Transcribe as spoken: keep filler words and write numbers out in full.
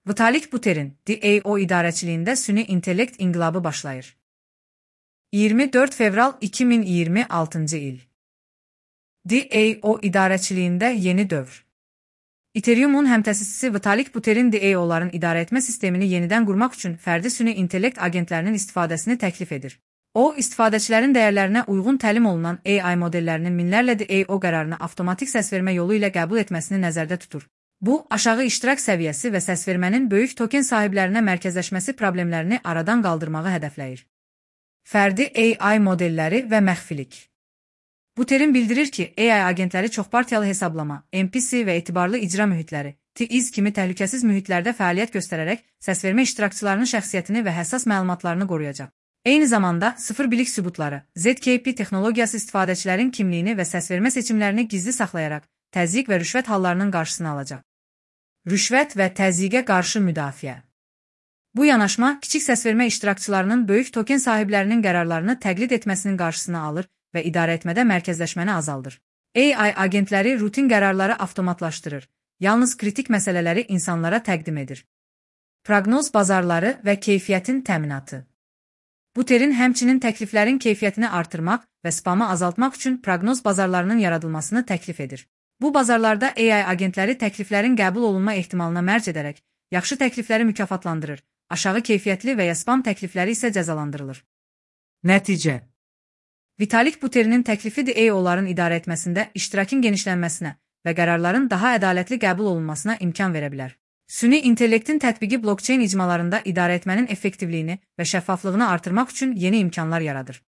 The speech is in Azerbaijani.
Vitalik Buterin, D A O idarəçiliyində süni intellekt inqilabı başlayır. iyirmi dörd fevral iki min iyirmi altıncı il. D A O idarəçiliyində yeni dövr. Ethereum-un həmtəsisçisi Vitalik Buterin D A O-ların idarəetmə sistemini yenidən qurmaq üçün fərdi süni intellekt agentlərinin istifadəsini təklif edir. O, istifadəçilərin dəyərlərinə uyğun təlim olunan A I modellərinin minlərlə D A O qərarını avtomatik səsvermə yolu ilə qəbul etməsini nəzərdə tutur. Bu, aşağı iştirak səviyyəsi və səsvermənin böyük token sahiblərinə mərkəzləşməsi problemlərini aradan qaldırmağı hədəfləyir. Fərdi A I modelləri və məxfilik. Buterin bildirir ki, A I agentləri çoxpartiyalı hesablama, N P C və etibarlı icra mühitləri, T I Z kimi təhlükəsiz mühitlərdə fəaliyyət göstərərək səsvermə iştirakçılarının şəxsiyyətini və həssas məlumatlarını qoruyacaq. Eyni zamanda, sıfır bilik sübutları, Z K P texnologiyası istifadəçilərin kimliyini və səsvermə seçimlərini gizli saxlayaraq, təzyiq və rüşvət hallarının qarşısını alacaq. Rüşvət və təzyiqə qarşı müdafiə. Bu yanaşma, kiçik səsvermə iştirakçılarının böyük token sahiblərinin qərarlarını təqlid etməsinin qarşısını alır və idarəetmədə mərkəzləşməni azaldır. A I agentləri rutin qərarları avtomatlaşdırır, yalnız kritik məsələləri insanlara təqdim edir. Proqnoz bazarları və keyfiyyətin təminatı. Buterin həmçinin təkliflərin keyfiyyətini artırmaq və spamı azaltmaq üçün proqnoz bazarlarının yaradılmasını təklif edir. Bu bazarlarda A I agentləri təkliflərin qəbul olunma ehtimalına mərc edərək, yaxşı təklifləri mükafatlandırır, aşağı keyfiyyətli və ya spam təklifləri isə cəzalandırılır. Nəticə. Vitalik Buterinin təklifi D A O-ların idarə etməsində iştirakın genişlənməsinə və qərarların daha ədalətli qəbul olunmasına imkan verə bilər. Süni intellektin tətbiqi blokçeyn icmalarında idarəetmənin effektivliyini və şəffaflığını artırmaq üçün yeni imkanlar yaradır.